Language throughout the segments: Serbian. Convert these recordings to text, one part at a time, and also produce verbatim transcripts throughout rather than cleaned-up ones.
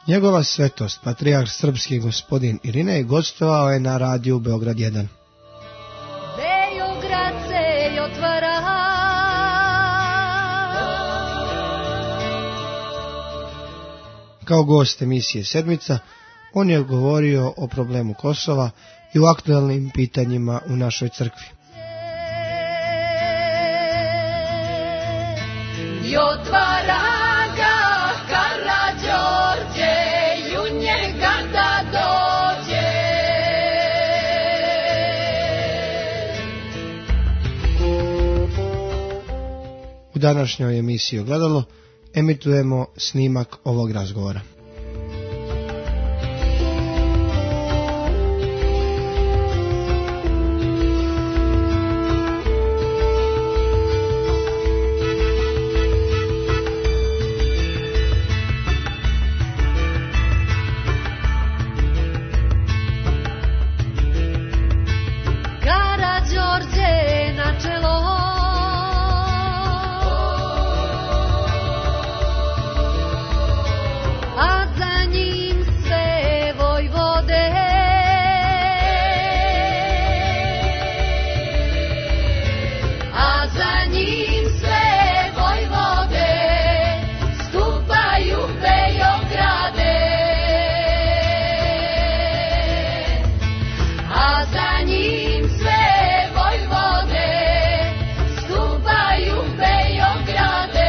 Njegova svetost, patrijarh srpski gospodin Irinej, gostovao je na radiju Beograd jedan. Beograd se otvara. Kao gost emisije Sedmica, on je govorio o problemu Kosova i o aktuelnim pitanjima u našoj crkvi. I otvara ga Karađorđe, i u njega da dođe. U današnjoj emisiji Ogledalo emitujemo snimak ovog razgovora. Karađorđe na čelo, a za njim sve vojvode. A za njim sve vojvode stupaju Beograde. A za njim sve vojvode stupaju Beograde.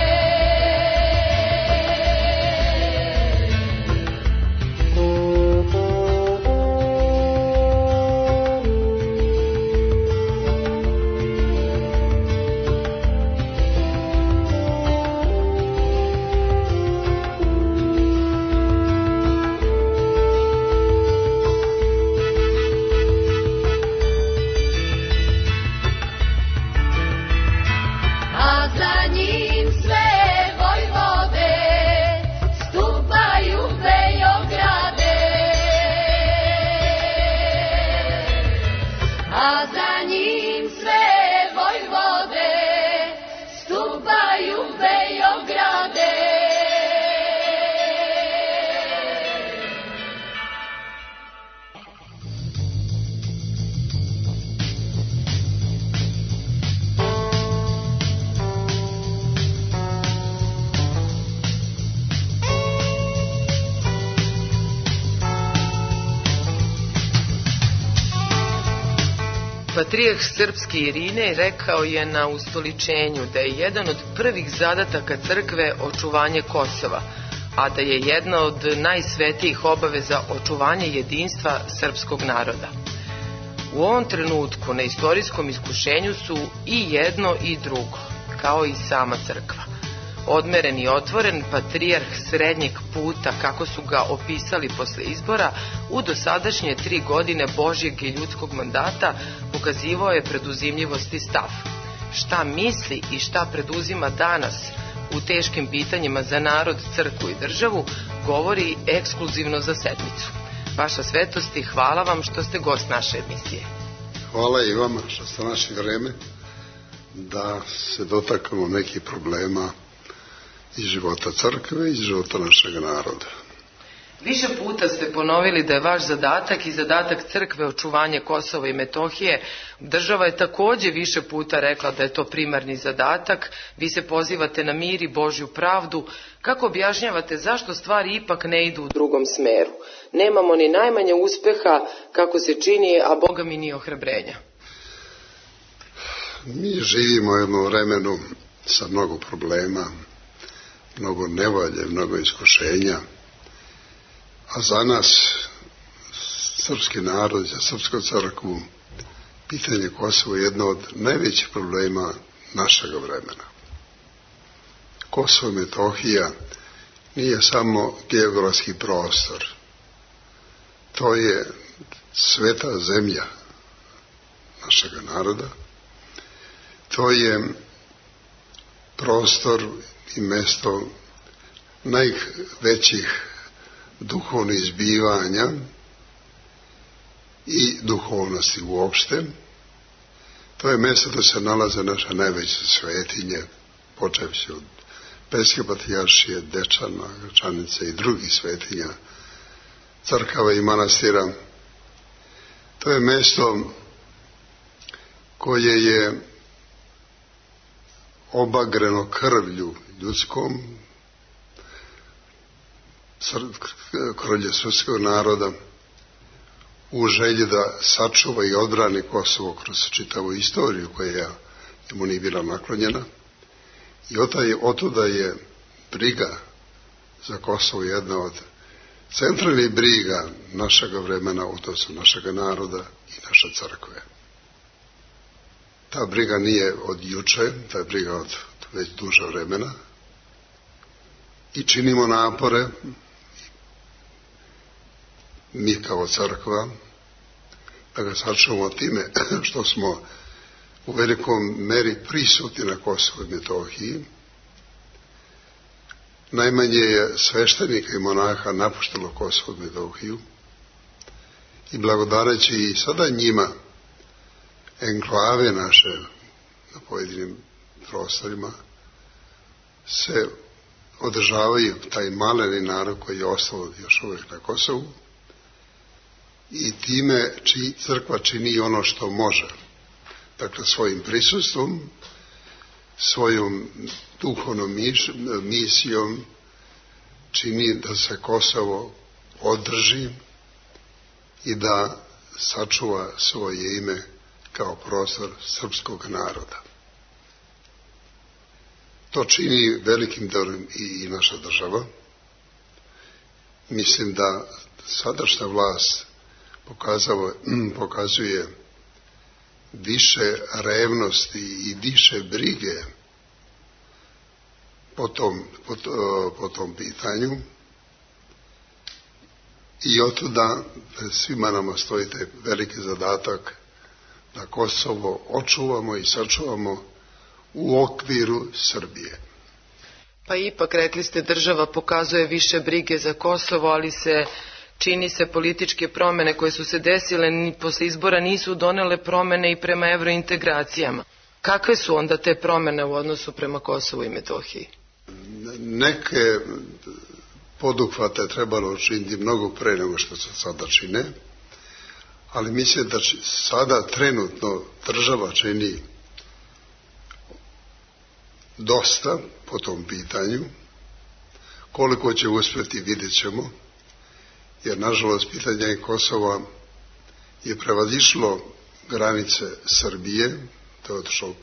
A za njim sve vojvode stupaju Beograde. A za njim sve vojvode stupaju Beograde. Patrijarh srpski Irinej rekao je na ustoličenju da je jedan od prvih zadataka crkve očuvanje Kosova, a da je jedna od najsvetijih obaveza očuvanje jedinstva srpskog naroda. U ovom trenutku na istorijskom iskušenju su i jedno i drugo, kao i sama crkva. Odmeren i otvoren patrijarh srednjeg puta, kako su ga opisali posle izbora, u dosadašnje tri godine Božjeg i ljudskog mandata pokazivao je preduzimljivost i stav. Šta misli i šta preduzima danas u teškim pitanjima za narod, crkvu i državu, govori ekskluzivno za Sedmicu. Vaša svetosti, hvala vam što ste gost naše emisije. Hvala i vama što ste našli vreme da se dotaknemo nekih problema iz života crkve i iz života našeg naroda. Više puta ste ponovili da je vaš zadatak i zadatak crkve očuvanje Kosova i Metohije. Država je takođe više puta rekla da je to primarni zadatak. Vi se pozivate na mir i Božju pravdu. Kako objašnjavate zašto stvari ipak ne idu u drugom smeru? Nemamo ni najmanje uspeha kako se čini, a Boga mi ni ohrabrenja. Mi živimo u jednom vremenu sa mnogo problema, mnogo nevolje, mnogo iskušenja, a za nas, srpski narod, za srpsku crkvu, pitanje Kosova je jedno od najvećih problema našeg vremena. Kosovo i Metohija nije samo geografski prostor, to je sveta zemlja našeg naroda, to je prostor i mesto najvećih duhovnih izbivanja i duhovnosti uopšte. To je mesto da se nalaze naše najveće svetinje, počevši od Peske patrijaršije, Dečana, Gračanice i drugih svetinja crkava i manastira. To je mesto koje je obagreno krvlju ljudskom, krvlje srpskog naroda, u želji da sačuva i odbrani Kosovo kroz čitavu istoriju koja mu nije bila naklonjena. I otuda je briga za Kosovo jedna od centralnih briga našeg vremena, odnosno našeg naroda i naše crkve. Ta briga nije od juče, ta je briga od već duže vremena i činimo napore, mi kao crkva, da ga sačuvamo time što smo u velikom meri prisutni na Kosovu i Metohiji. Najmanje je sveštenika i monaha napuštilo Kosovo i Metohiju i blagodareći i sada njima enklave naše na pojedinim prostorima se održavaju taj maleni narod koji je ostao još uvijek na Kosovu i time či crkva čini ono što može. Dakle, svojim prisustvom, svojom duhovnom misijom čini da se Kosovo održi i da sačuva svoje ime kao prostor srpskog naroda. To čini velikim delom i naša država. Mislim da sadašnja vlast pokazuje više revnosti i više brige po tom, po, po tom pitanju i otuda svima nama stoji taj veliki zadatak da Kosovo očuvamo i sačuvamo u okviru Srbije. Pa ipak, rekli ste, država pokazuje više brige za Kosovo, ali se čini se političke promene koje su se desile ni posle izbora nisu donele promene i prema evrointegracijama. Kakve su onda te promene u odnosu prema Kosovu i Metohiji? Neke poduhvate trebalo učiniti mnogo pre nego što se sada čine, ali mislim da sada trenutno država čini dosta po tom pitanju. Koliko će uspjeti vidjet ćemo, jer nažalost pitanje Kosova je prevazišlo granice Srbije, to je otišlo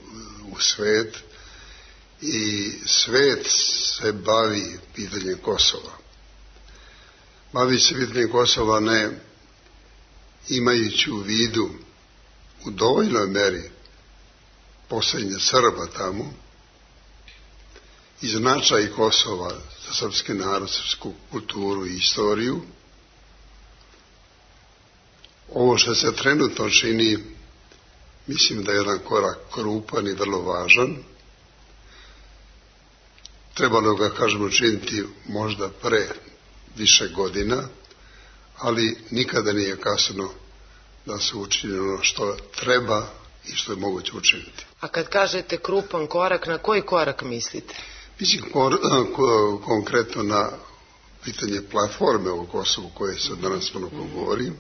u svet i svet se bavi pitanjem Kosova. Bavi se pitanjem Kosova ne imajući u vidu u dovoljnoj meri postojanje Srba tamo i značaj Kosova za srpski narod, srpsku kulturu i istoriju. Ovo što se trenutno čini, mislim da je jedan korak krupan i vrlo važan. Trebalo ga, kažemo, činiti možda pre više godina, ali nikada nije kasno da se učini ono što treba i što je moguće učiniti. A kad kažete krupan korak, na koji korak mislite? Mislim kor, ko, konkretno na pitanje platforme u Kosovu koje se danas mnogo govori.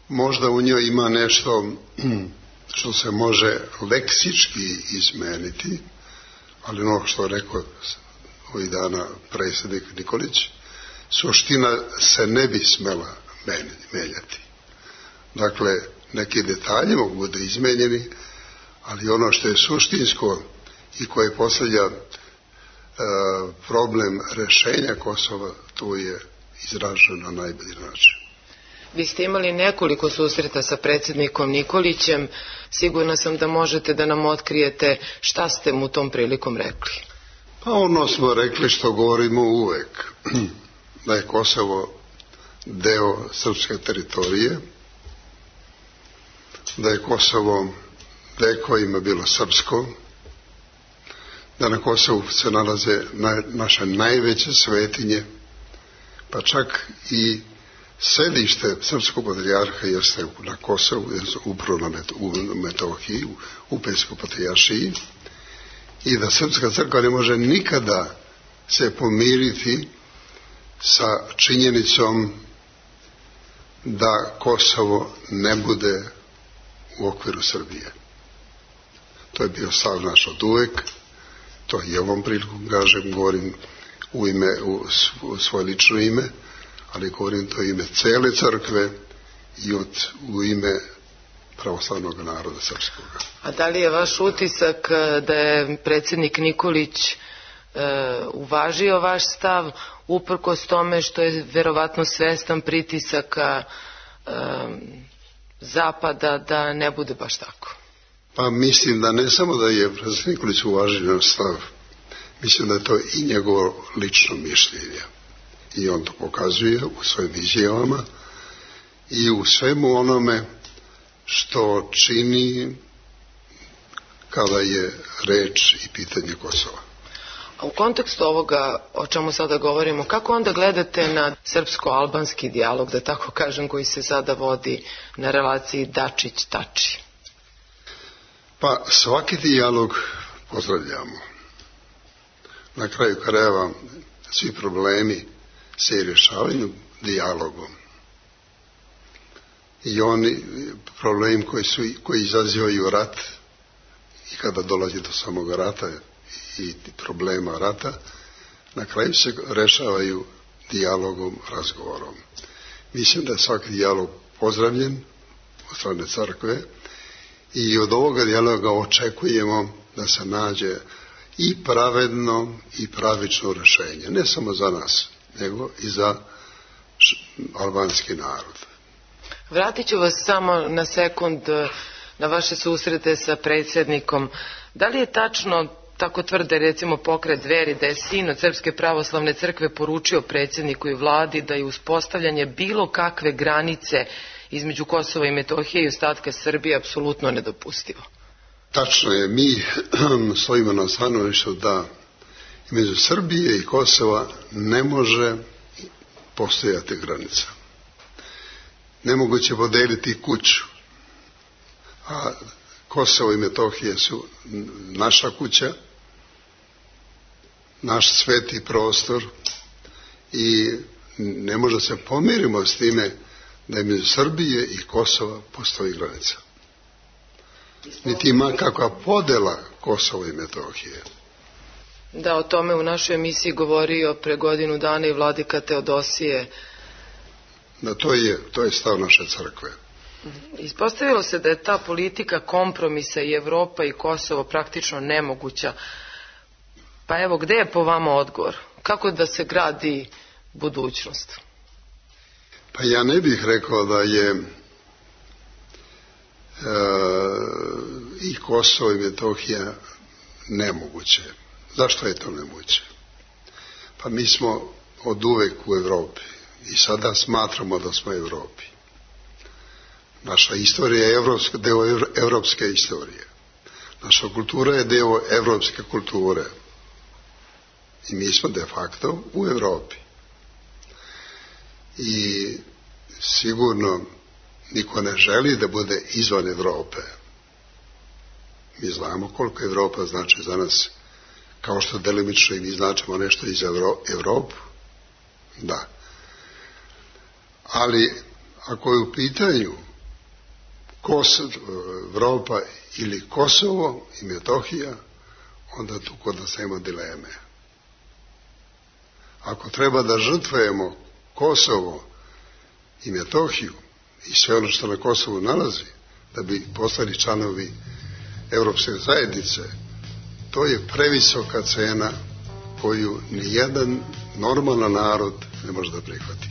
Možda u njoj ima nešto što se može leksički izmeniti, ali ono što rekao ovih dana predsjednik Nikolić, suština se ne bi smela menjati. Dakle, neki detalji mogu biti izmenjeni, ali ono što je suštinsko i koje postavlja e, problem rešenja Kosova, to je izraženo na najbolji način. Vi ste imali nekoliko susreta sa predsjednikom Nikolićem. Sigurna sam da možete da nam otkrijete šta ste mu tom prilikom rekli. Pa ono smo rekli što govorimo uvek, da je Kosovo deo srpske teritorije, da je Kosovo vekovima bilo srpsko, da na Kosovu se nalaze na, naše najveće svetinje, pa čak i sedište srpskog patrijarha jeste na Kosovu, upravo na Metohiji, u Upejskoj patrijaršiji, i da srpska crkva ne može nikada se pomiriti sa činjenicom da Kosovo ne bude u okviru Srbije. To je bio stav naš od uvek, to i ovom prilikom kažem, govorim u ime, u svoje lično ime, ali govorim to ime cele crkve i od, u ime pravoslavnog naroda srpskog. A da li je vaš utisak da je predsjednik Nikolić e, uvažio vaš stav, uprkos tome što je verovatno svestan pritisaka e, Zapada da ne bude baš tako? Pa mislim da ne samo da je predsjednik Nikolić uvažio stav, mislim da je to i njegovo lično mišljenje. I on to pokazuje u svojim izjavama i u svemu onome što čini kada je reč i pitanje Kosova. A u kontekstu ovoga o čemu sada govorimo, kako onda gledate na srpsko-albanski dijalog, da tako kažem, koji se sada vodi na relaciji Dačić-Tači? Pa svaki dijalog pozdravljamo. Na kraju krajeva svi problemi se rješavaju dijalogom. I oni problemi koji, su, koji izazivaju rat i kada dolazi do samog rata i problema rata, na kraju se rešavaju dijalogom, razgovorom. Mislim da je svaki dijalog pozdravljen od strane crkve i od ovoga dijaloga očekujemo da se nađe i pravedno i pravično rešenje, ne samo za nas, nego i za albanski narod. Vratit ću vas samo na sekund na vaše susrete sa predsjednikom. Da li je tačno, tako tvrde recimo pokret Dveri, da je sin od Srpske pravoslavne crkve poručio predsjedniku i vladi da je uspostavljanje bilo kakve granice između Kosova i Metohije i ostatka Srbije apsolutno nedopustivo? Tačno je, mi stojimo na stanovištu da između Srbije i Kosova ne može postojati granica. Nemoguće podeliti kuću, a Kosovo i Metohije su naša kuća, naš sveti prostor i ne može se pomirimo s time da između Srbije i Kosova postoji granica. Niti ima kakva podela Kosova i Metohije. Da, o tome u našoj emisiji govorio pre godinu dana i vladika Teodosije. Da, to je, to je stav naše crkve. Ispostavilo se da je ta politika kompromisa i Evropa i Kosovo praktično nemoguća. Pa evo, gde je po vama odgovor? Kako da se gradi budućnost? Pa ja ne bih rekao da je e, i Kosovo i Metohija nemoguće. Zašto je to nemoguće? Pa mi smo od uvek u Evropi i sada smatramo da smo u Evropi. Naša istorija je evropska, deo evropske istorije. Naša kultura je deo evropske kulture. I mi smo de facto u Evropi. I sigurno niko ne želi da bude izvan Evrope. Mi znamo koliko Evropa znači za nas, kao što delimično i mi značimo nešto iz Evropu. Da. Ali ako je u pitanju Kosovo, Evropa ili Kosovo i Metohija, onda tu kod nas nema dileme. Ako treba da žrtvujemo Kosovo i Metohiju i sve ono što na Kosovu nalazi, da bi postali članovi Evropske zajednice, to je previsoka cena koju nijedan normalan narod ne može da prihvati.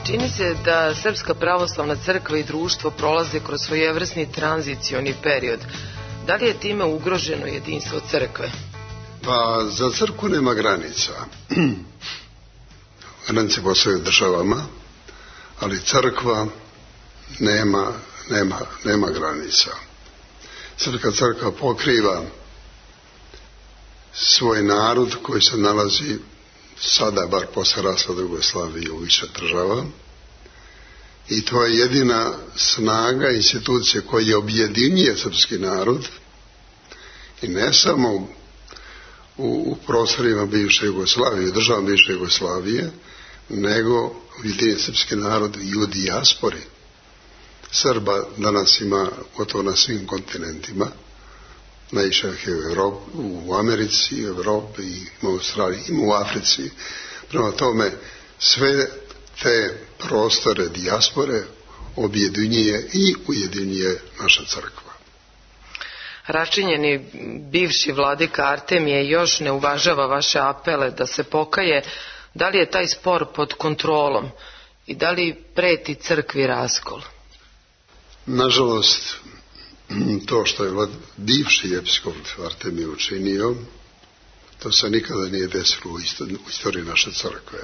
Čini se da Srpska pravoslavna crkva i društvo prolaze kroz svojevrsni tranzicioni period. Da li je time ugroženo jedinstvo crkve? Pa za crkvu nema granica. granice po svojim državama, ali crkva nema, nema, nema granica. Srpska crkva pokriva svoj narod koji se nalazi sada, bar posle raspada Jugoslavije, u više država, i to je jedina snaga institucije koja objedinjuje srpski narod, i ne samo u, u prostorima bivše Jugoslavije, državama bivše Jugoslavije, nego objedinjuje srpski narod i u dijaspori. Srba danas ima gotovo na svim kontinentima, najviše je u Evropi, u Americi, u Evropi, ima u Australiji, ima u Africi. Prema tome, sve te prostore dijaspore objedinjuje i ujedinjuje naša crkva. Račinjeni bivši vladika Artemije još ne uvažava vaše apele da se pokaje. Da li je taj spor pod kontrolom i da li preti crkvi raskol? Nažalost, to što je bivši episkop Artemije učinio, to se nikada nije desilo u istoriji naše crkve.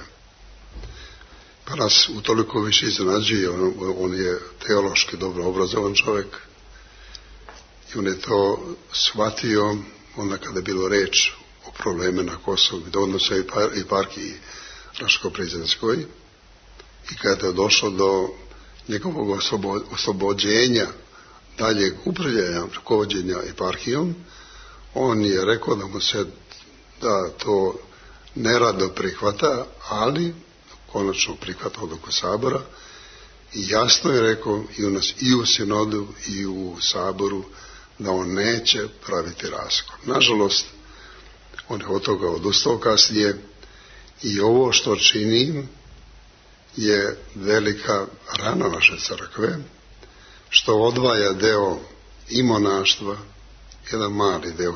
Pa nas utoliko više iznenađuje, on, on je teološki dobro obrazovan čovjek i on je to shvatio onda kada je bilo reč o probleme na Kosovu, da odnosa i, par, i parkiji Raško-Prizrenskoj, i kada je došlo do njegovog osobo, oslobođenja daljeg upravljanja, rukovođenja eparhijom, on je rekao da mu se da to nerado prihvata, ali konačno prihvata odluku Sabora, i jasno je rekao i u nas, i u sinodu i u Saboru, da on neće praviti raskol. Nažalost, on je od toga odustao kasnije, i ovo što čini je velika rana naše crkve, što odvaja deo i monaštva, jedan mali deo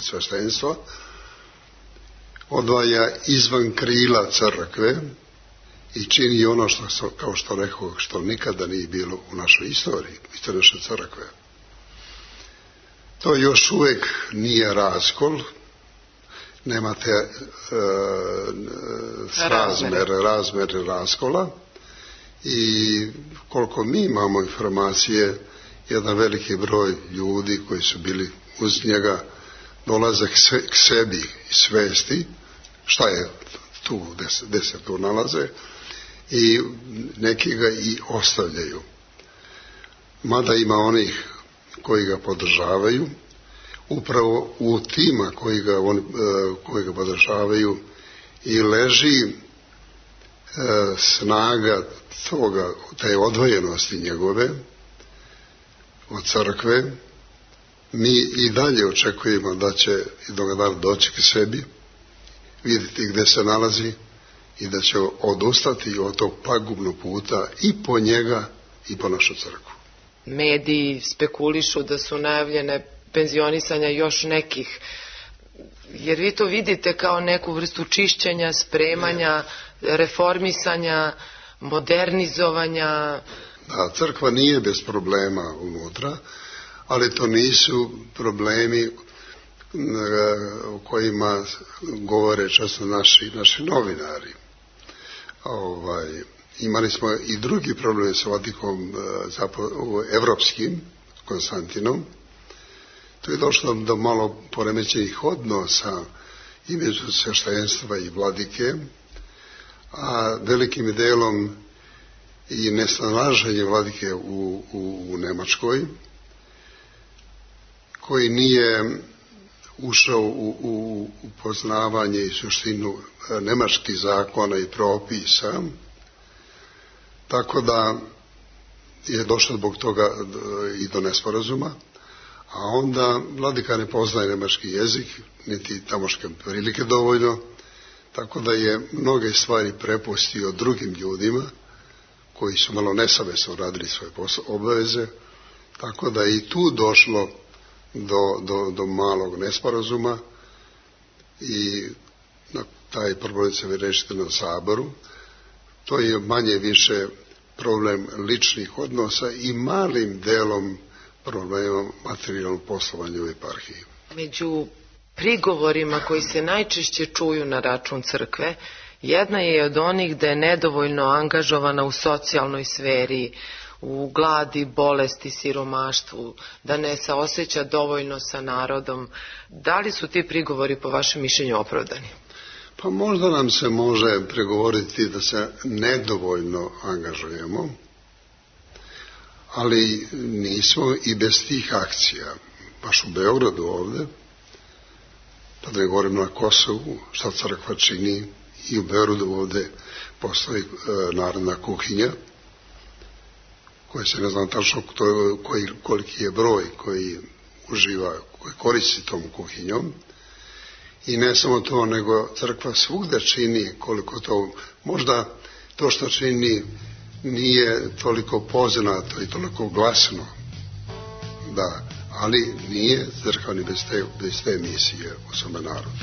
sveštenstva, odvaja izvan krila crkve i čini ono što, kao što rekao, što nikada nije bilo u našoj istoriji, istoriji naše crkve. To još uvijek nije raskol, nemate e, razmere, razmere raskola, i koliko mi imamo informacije, jedan veliki broj ljudi koji su bili uz njega dolaze k sebi i svesti šta je tu, gde se tu nalaze, i neki ga i ostavljaju. Mada ima onih koji ga podržavaju, upravo u tima koji ga, on, koji ga podržavaju i leži e, snaga toga, te odvojenosti njegove od crkve. Mi i dalje očekujemo da će jednog dana doći k sebi, vidjeti gde se nalazi i da će odustati od tog pagubnog puta i po njega i po našu crkvu. Mediji spekulišu da su najavljene penzionisanja još nekih, jer vi to vidite kao neku vrstu čišćenja, spremanja, reformisanja, modernizovanja. Da, crkva nije bez problema unutra, ali to nisu problemi o kojima govore često naši, naši novinari. Ovaj, imali smo i drugi problem sa Vatikom evropskim, Konstantinom. To je došlo do malo poremećenih odnosa između sveštenstva i vladike, a velikim delom i nesnalaženje vladike u, u, u Nemačkoj, koji nije ušao u, u, u poznavanje i suštinu nemačkih zakona i propisa, tako da je došlo zbog toga i do nesporazuma, a onda vladika ne poznaje nemački jezik, niti tamoške prilike dovoljno, tako da je mnoge stvari prepustio drugim ljudima koji su malo nesavesno radili svoje obaveze, tako da je i tu došlo do, do, do malog nesporazuma, i na taj problem se rešiti na Saboru. To je manje više problem ličnih odnosa i malim delom problema materijalnog poslovanja u eparhiji. Među prigovorima koji se najčešće čuju na račun crkve Jedna je od onih da je nedovoljno angažovana u socijalnoj sferi, u gladi, bolesti, siromaštvu, da ne saoseća dovoljno sa narodom. Da li su ti prigovori po vašem mišljenju opravdani? Pa možda nam se može pregovoriti da se nedovoljno angažujemo, ali nismo i bez tih akcija. Baš u Beogradu ovde, pa da ne govorim na Kosovu, šta crkva čini, i u Beogradu ovde postoji e, narodna kuhinja, koja se ne znam tačno koji, koliki je broj koji uživa, koji koristi tom kuhinjom. I ne samo to, nego crkva svugde čini koliko to, možda to što čini nije toliko poznato i toliko glasno, da, ali nije crkva ni bez te, bez te misije u svome narodu.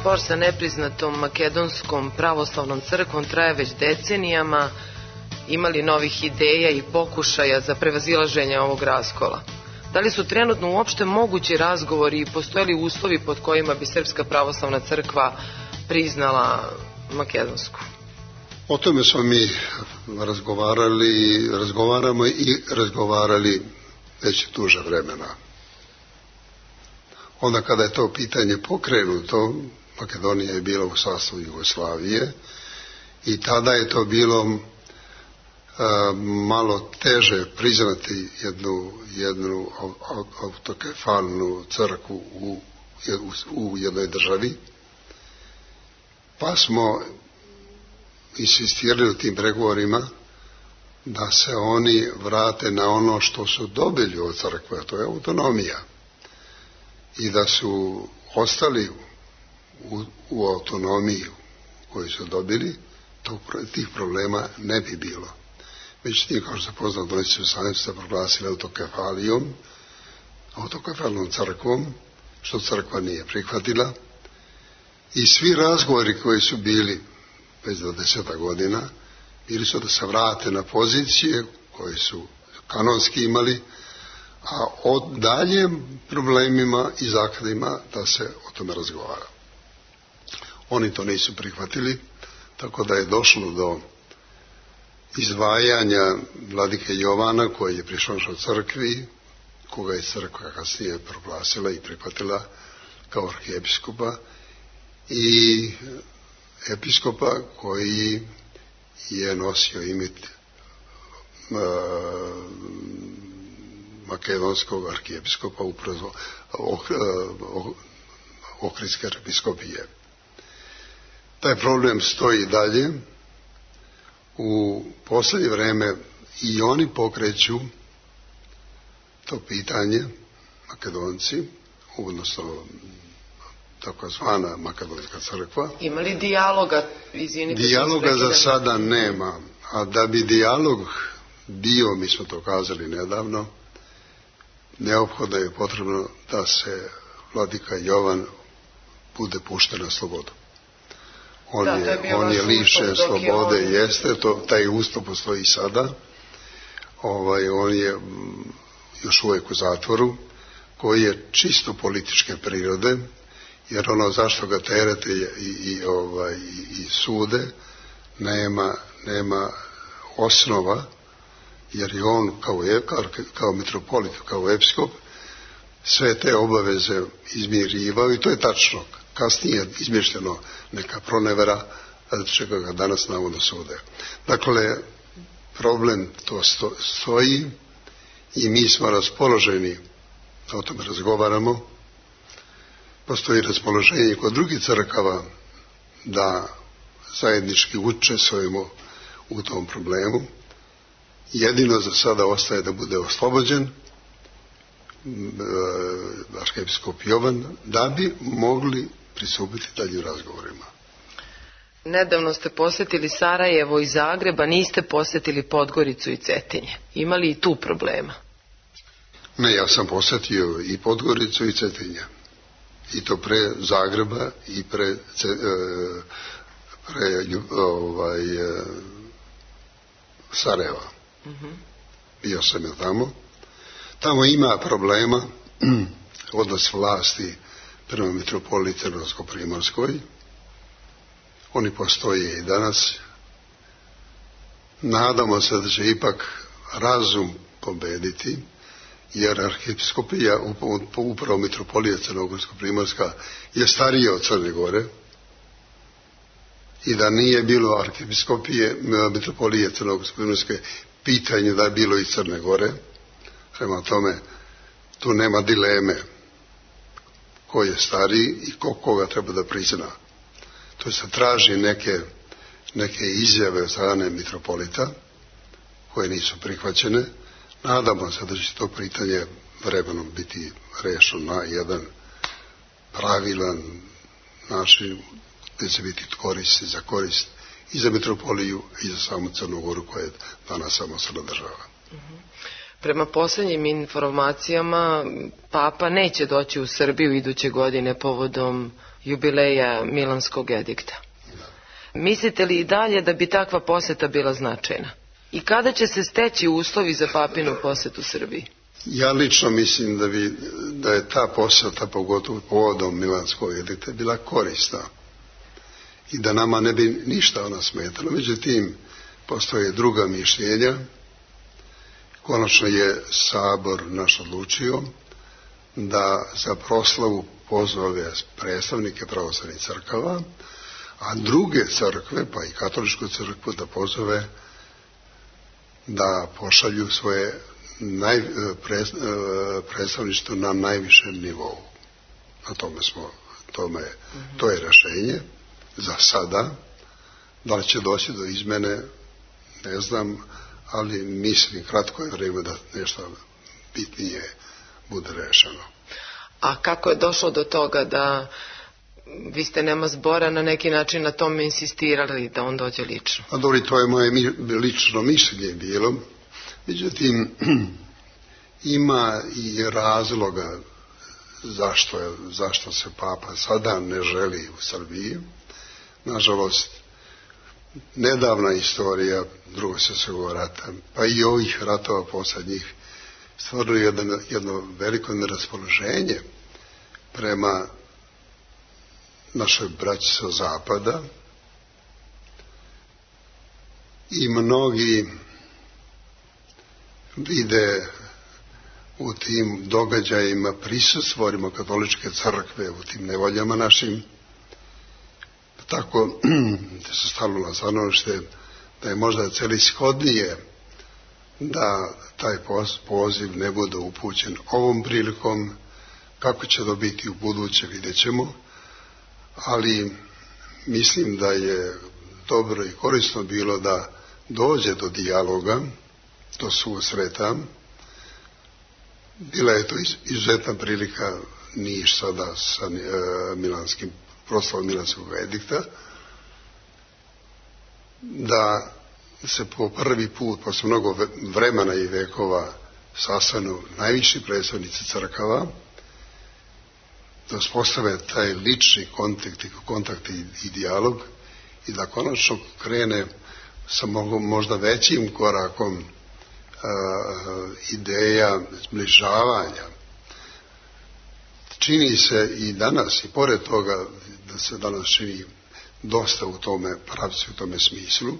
Spor sa nepriznatom makedonskom pravoslavnom crkvom traje već decenijama. Ima li novih ideja i pokušaja za prevazilaženje ovog raskola? Da li su trenutno uopšte mogući razgovori i postoje li uslovi pod kojima bi Srpska pravoslavna crkva priznala makedonsku? O tome smo mi razgovarali, razgovaramo i razgovarali već duže vremena. Onda kada je to pitanje pokrenuto, Makedonija je bila u sastavu Jugoslavije i tada je to bilo uh, malo teže priznati jednu, jednu autokefalnu crkvu u, u, u jednoj državi, pa smo insistirali u tim pregovorima da se oni vrate na ono što su dobili od crkve, to je autonomija, i da su ostali u, u autonomiji koju su dobili, to, tih problema ne bi bilo. Međutim, kao što se poznao, oni su sami se proglasili autokefalijom, autokefalnom crkvom, što crkva nije prihvatila, i svi razgovori koji su bili već dvadeset godina bili su da se vrate na pozicije koje su kanonski imali, a o daljim problemima i zakladima da se o tome razgovara. Oni to nisu prihvatili, tako da je došlo do izdvajanja vladike Jovana, koji je prišao u crkvi, koga je crkva kasnije proglasila i prihvatila kao arhijepiskopa, i episkopa koji je nosio ime uh, makedonskog arhijepiskopa upravo Ohridske episkopije. Taj problem stoji dalje. U poslednje vreme i oni pokreću to pitanje, Makedonci, odnosno takozvana Makedonska crkva. Ima li dijaloga? Izvinite, dijaloga za sada nema, a da bi dijalog bio, mi smo to kazali nedavno, neophodno je potrebno da se vladika Jovan bude pušten na slobodu. On da, je, je on je lišen slobode, on... jeste, to, taj ustav postoji i sada. Ovaj, on je još uvijek u zatvoru, koji je čisto političke prirode, jer ono zašto ga terete i, i, ovaj, i, i sude nema, nema osnova, jer je on kao, kao, kao mitropolit, kao episkop, sve te obaveze izmirivao, i to je tačno. Kasnije je izmišljeno neka pronevera, čega ga danas navodno sude. Dakle, problem to sto, stoji i mi smo raspoloženi da o tome razgovaramo. Postoji raspoloženje kod drugih crkava da zajednički učestvujemo u tom problemu. Jedino za sada ostaje da bude oslobođen arhijepiskop Jovan, da bi mogli pristupiti daljim razgovorima. Nedavno ste posjetili Sarajevo i Zagreba, niste posjetili Podgoricu i Cetinje. Ima li i tu problema? Ne, ja sam posjetio i Podgoricu i Cetinje. I to pre Zagreba i pre, pre ovaj, Sarajeva. Mm-hmm. Bio sam je tamo. Tamo ima problema odnos vlasti prema mitropoliji Crnogorsko-primorskoj. Oni postoje i danas. Nadamo se da će ipak razum pobediti, jer arhijepiskopija, upravo mitropolija Crnogorsko-primorska, je starija od Crne Gore i da nije bilo arhijepiskopije mitropolije Crnogorsko-primorske, pitanje da je bilo i Crne Gore. Prema tome, tu nema dileme ko je stariji i ko koga treba da prizna. To se traži neke, neke izjave od strane mitropolita koje nisu prihvaćene. Nadamo se da će to pitanje vremenom biti rešeno na jedan pravilan način gdje će biti korist za korist i za mitropoliju i za samu Crnu Goru koja je danas samostalna država. Mm-hmm. Prema posljednjim informacijama, Papa neće doći u Srbiju iduće godine povodom jubileja Milanskog edikta. Da. Mislite li i dalje da bi takva posjeta bila značajna? I kada će se steći uslovi za Papinu posjetu Srbiji? Ja lično mislim da, bi, da je ta posjeta, pogotovo povodom Milanskog edikta, bila korisna i da nama ne bi ništa ona smetala. Međutim, postoje druga mišljenja. Konačno je Sabor naš odlučio da za proslavu pozove predstavnike pravoslavnih crkava, a druge crkve, pa i katoličku crkvu, da pozove da pošalju svoje naj, pre, predstavništvo na najvišem nivou. Na tome smo, tome, mm-hmm. to je rešenje za sada. Da li će doći do izmene, ne znam, ali mislim kratko je vrijeme da nešto bitnije bude rešeno. A kako je došlo do toga da vi ste nema zbora na neki način na tome insistirali da on dođe lično? A dobro, to je moje lično mišljenje bilo. Međutim, ima i razloga zašto, je, zašto se Papa sada ne želi u Srbiji. Nažalost, nedavna istorija Drugog svjetskog rata, pa i ovih ratova posljednjih, stvarno jedno, jedno veliko neraspoloženje prema našoj braći sa zapada i mnogi vide u tim događajima prisustvo rimokatoličke crkve, u tim nevoljama našim. Tako da se stavilo na stanovište da je možda celishodnije da taj poziv ne bude upućen ovom prilikom. Kako će to biti u buduće, vidjet ćemo, ali mislim da je dobro i korisno bilo da dođe do dijaloga, do susreta. Bila je to izuzetna prilika Niš sada sa e, milanskim proslavom Milanskog edikta, da se po prvi put, posle mnogo vremena i vekova, sastanu najviši predstavnici crkava, da uspostave taj lični kontakt, kontakt i, i dijalog i da konačno krene sa možda većim korakom a, ideja zbližavanja. Čini se i danas, i pored toga da se danas čini dosta u tome pravcu, u tome smislu,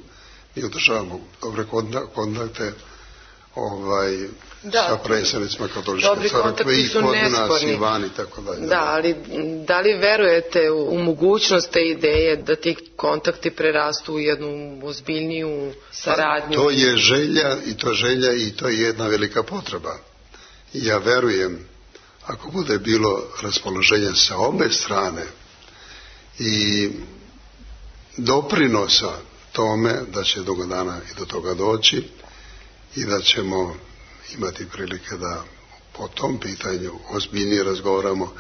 mi održavamo dobre kontakte ovaj, sa predstavnicima katoličke crkve i kod nas i vani, tako dalje. Da, ali da li verujete u, u mogućnost te ideje da ti kontakti prerastu u jednu ozbiljniju saradnju? Pa, to je želja i to želja i to je jedna velika potreba. I ja verujem, ako bude bilo raspoloženja sa obe strane i doprinosa tome, da će dugo dana i do toga doći i da ćemo imati prilike da po tom pitanju ozbiljnije razgovaramo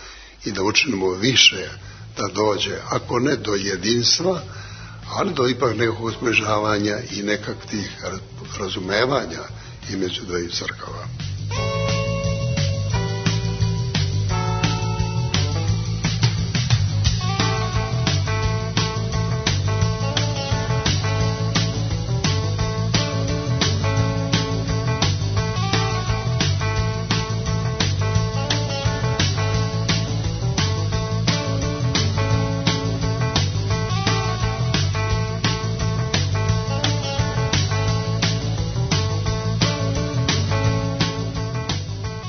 i da učinimo više da dođe, ako ne do jedinstva, ali do ipak nekog zbližavanja i nekakvih razumevanja između dvaju crkava.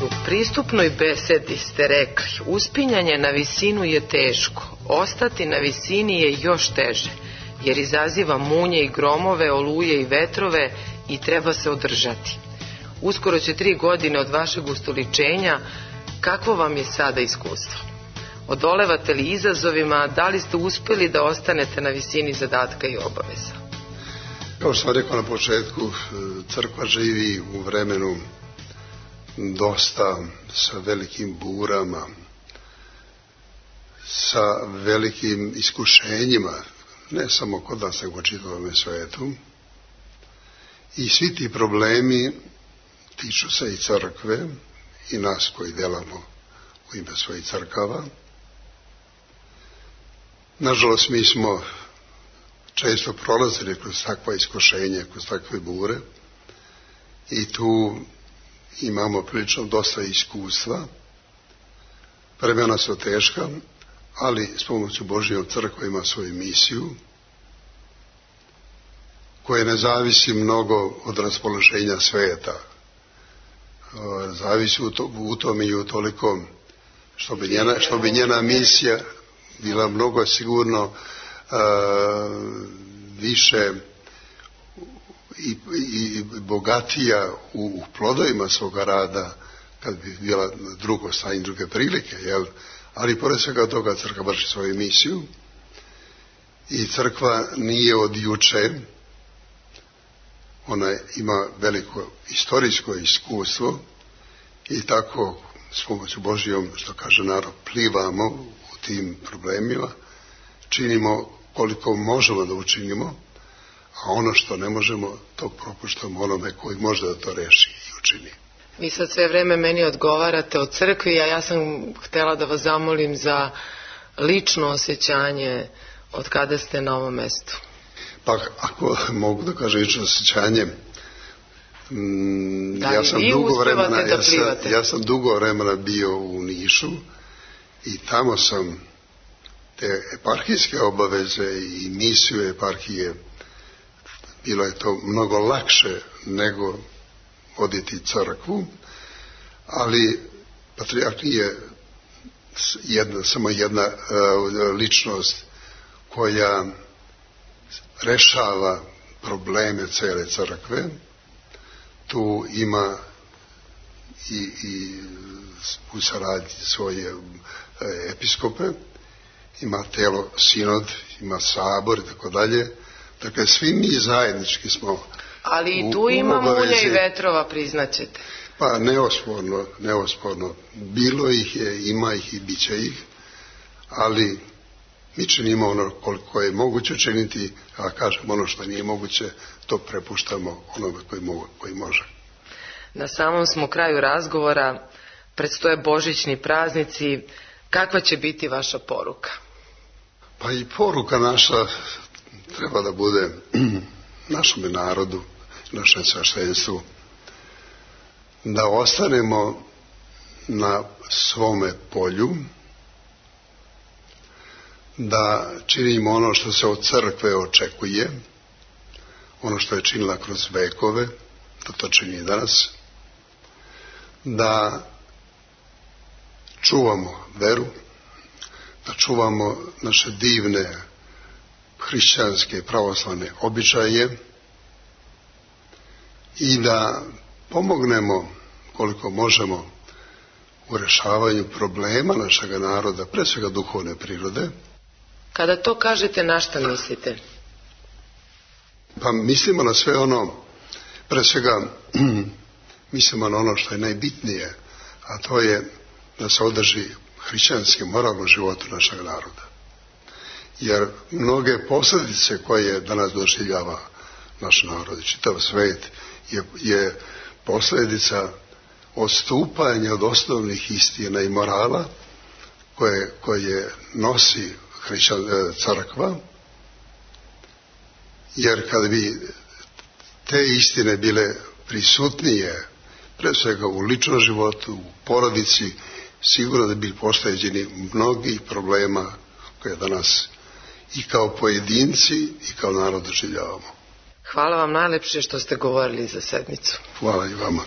U pristupnoj besedi ste rekli: uspinjanje na visinu je teško, ostati na visini je još teže, jer izaziva munje i gromove, oluje i vetrove i treba se održati. Uskoro će tri godine od vašeg ustoličenja. Kakvo vam je sada iskustvo? Odolevate li izazovima? Da li ste uspjeli da ostanete na visini zadatka i obaveza? Kao što sam rekao na početku, crkva živi u vremenu dosta sa velikim burama, sa velikim iskušenjima, ne samo kod nas, nego u čitavom svetu. I svi ti problemi tiču se i crkve i nas koji delamo u ime svojih crkava. Nažalost, mi smo često prolazili kroz takva iskušenja, kroz takve bure i tu imamo prilično dosta iskustva. Vremena su teška, ali s pomoću Božjom crkva ima svoju misiju koja ne zavisi mnogo od raspoloženja sveta. Zavisi u, to, u tome i u toliko što bi njena, što bi njena misija bila mnogo sigurno uh, više I, i bogatija u, u plodovima svoga rada kad bi bila drugo stanje, druge prilike, jel? Ali pored svega toga crkva vrši svoju misiju i crkva nije od juče, ona ima veliko istorijsko iskustvo i tako s pomoću Božjom, što kaže narod, plivamo u tim problemima, činimo koliko možemo da učinimo, a ono što ne možemo, to propuštamo onome koji može da to reši i učini. Vi sad sve vreme meni odgovarate o crkvi, a ja sam htjela da vas zamolim za lično osjećanje od kada ste na ovom mestu. Pa ako mogu da kažem lično osjećanje, mm, da, ja, sam vi dugo vremena, da ja, sam, ja sam dugo vremena bio u Nišu i tamo sam te eparhijske obaveze i misiju eparhije, bilo je to mnogo lakše nego voditi crkvu, ali patrijarh nije jedna, samo jedna uh, ličnost koja rešava probleme cele crkve. Tu ima i, i u saradnji svoje uh, episkope, ima telo sinod, ima sabor i tako dalje. Dakle, svi mi zajednički smo. Ali i tu ima munja i vetrova, priznaćete. Pa neosporno, neosporno. Bilo ih je, ima ih i bit će ih, ali mi činimo ono koliko je moguće činiti, a kažem ono što nije moguće, to prepuštamo onome koji, mogu, koji može. Na samom smo kraju razgovora, predstoje božićni praznici, kakva će biti vaša poruka? Pa i poruka naša treba da bude našem narodu, našem sveštenstvu, da ostanemo na svome polju, da činimo ono što se od crkve očekuje, ono što je činila kroz vekove, da to čini danas, da čuvamo veru, da čuvamo naše divne hrišćanske pravoslavne običaje i da pomognemo koliko možemo u rešavanju problema našeg naroda, pre svega duhovne prirode. Kada to kažete, na šta mislite? Pa mislimo na sve ono, pre svega mislimo na ono što je najbitnije, a to je da se održi hrišćanski moralno životu našeg naroda. jer mnoge posljedice koje danas doživljava naš narod i čitav svet je, je posljedica odstupanja od osnovnih istina i morala koje, koje nosi hrišćan, crkva, jer kad bi te istine bile prisutnije, pre svega u ličnom životu, u porodici, sigurno da bi pošteđeni mnogih problema koje danas i kao pojedinci i kao narod doživljavamo. Hvala vam najlepše što ste govorili za sedmicu. Hvala i vama.